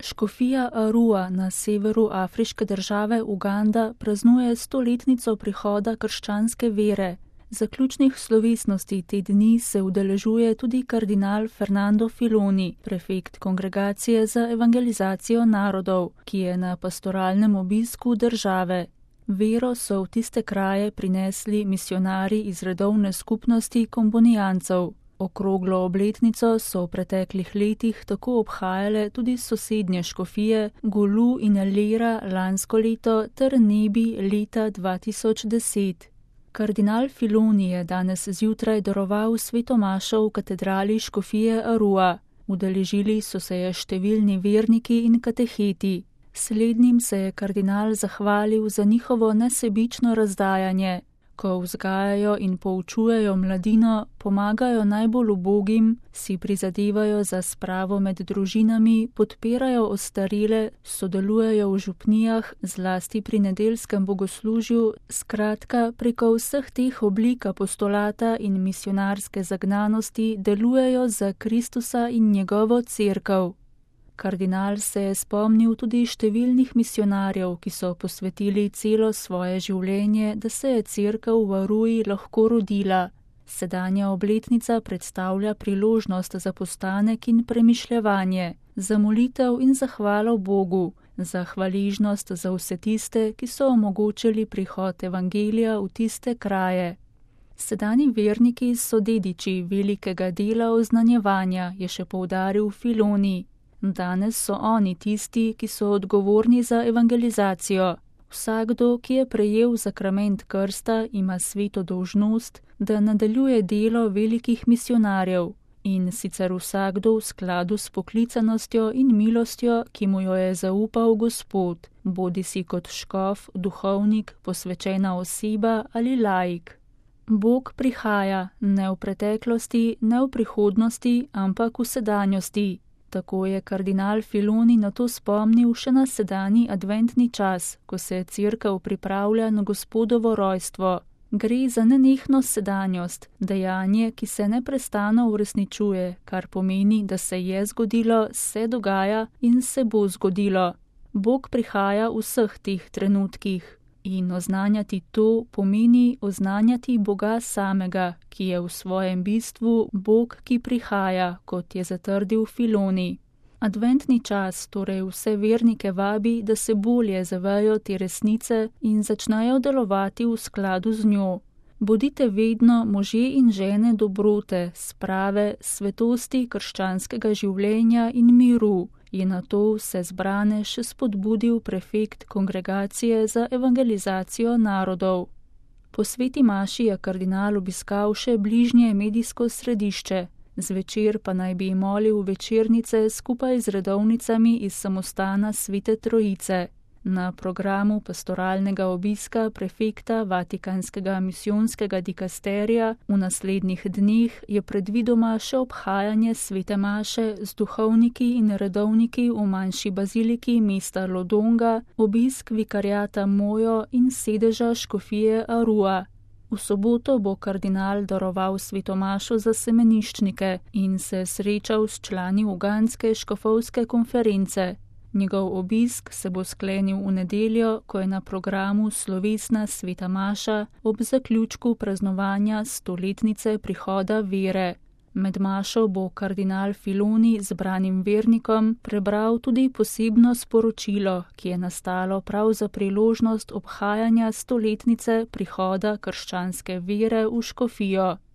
Škofija Arua na severu afriške države Uganda praznuje 100-letnico prihoda krščanske vere. Zaključnih slovesnosti te dni se udeležuje tudi kardinal Fernando Filoni, prefekt Kongregacije za evangelizacijo narodov, ki je na pastoralnem obisku države. Vero so v tiste kraje prinesli misionarji iz redovne skupnosti kombonijancev. Okroglo obletnico so v preteklih letih tako obhajale tudi sosednje škofije Gulu in Lera lansko leto ter Nebi leta 2010. Kardinal Filoni je danes zjutraj daroval sveto mašo v katedrali škofije Arua. Udeležili so se je številni verniki in kateheti. Slednjim se je kardinal zahvalil za njihovo nesebično razdajanje. Ko vzgajajo in poučujejo mladino, pomagajo najbolj ubogim, si prizadevajo za spravo med družinami, podpirajo ostarele, sodelujejo v župnijah, zlasti pri nedeljskem bogoslužju, skratka, preko vseh teh oblik apostolata in misionarske zagnanosti delujejo za Kristusa in njegovo cerkev. Kardinal se je spomnil tudi številnih misionarjev, ki so posvetili celo svoje življenje, da se je cerkev v Aruji lahko rodila. Sedanja obletnica predstavlja priložnost za postanek in premišljevanje, za molitev in zahvalo Bogu, za hvaležnost za vse tiste, ki so omogočili prihod evangelija v tiste kraje. Sedanji verniki so dediči velikega dela oznanjevanja, je še poudaril Filoni. Danes so oni tisti, ki so odgovorni za evangelizacijo. Vsakdo, ki je prejel sakrament krsta, ima sveto dolžnost, da nadaljuje delo velikih misionarjev, in sicer vsakdo v skladu s poklicanostjo in milostjo, ki mu jo je zaupal Gospod, bodisi kot škof, duhovnik, posvečena oseba ali laik. Bog prihaja, ne v preteklosti, ne v prihodnosti, ampak v sedanjosti. Tako je kardinal Filoni na to spomnil še na sedanji adventni čas, ko se cerkev pripravlja na Gospodovo rojstvo. Gre za nenehno sedanjost, dejanje, ki se neprestano uresničuje, kar pomeni, da se je zgodilo, se dogaja in se bo zgodilo. Bog prihaja v vseh teh trenutkih. In oznanjati to pomeni oznanjati Boga samega, ki je v svojem bistvu Bog, ki prihaja, kot je zatrdil Filoni. Adventni čas torej vse vernike vabi, da se bolje zavejo te resnice in začnejo delovati v skladu z njo. Bodite vedno možje in žene dobrote, sprave, svetosti krščanskega življenja in miru, je na to vse zbrane še spodbudil prefekt Kongregacije za evangelizacijo narodov. Po sveti maši je kardinal obiskal še bližnje medijsko središče, zvečer pa naj bi molil večernice skupaj z redovnicami iz samostana Svete Trojice. Na programu pastoralnega obiska prefekta Vatikanskega misijonskega dikasterija v naslednjih dneh je predvidoma še obhajanje svete maše z duhovniki in redovniki v manjši baziliki mesta Lodonga, obisk vikariata Mojo in sedeža škofije Arua. V soboto bo kardinal daroval sveto mašo za semeniščnike in se srečal s člani ugandske škofovske konference. Njegov obisk se bo sklenil v nedeljo, ko je na programu slovesna sveta maša ob zaključku praznovanja 100-letnice prihoda vere. Med mašo bo kardinal Filoni zbranim vernikom prebral tudi posebno sporočilo, ki je nastalo prav za priložnost obhajanja 100-letnice prihoda krščanske vere v škofijo.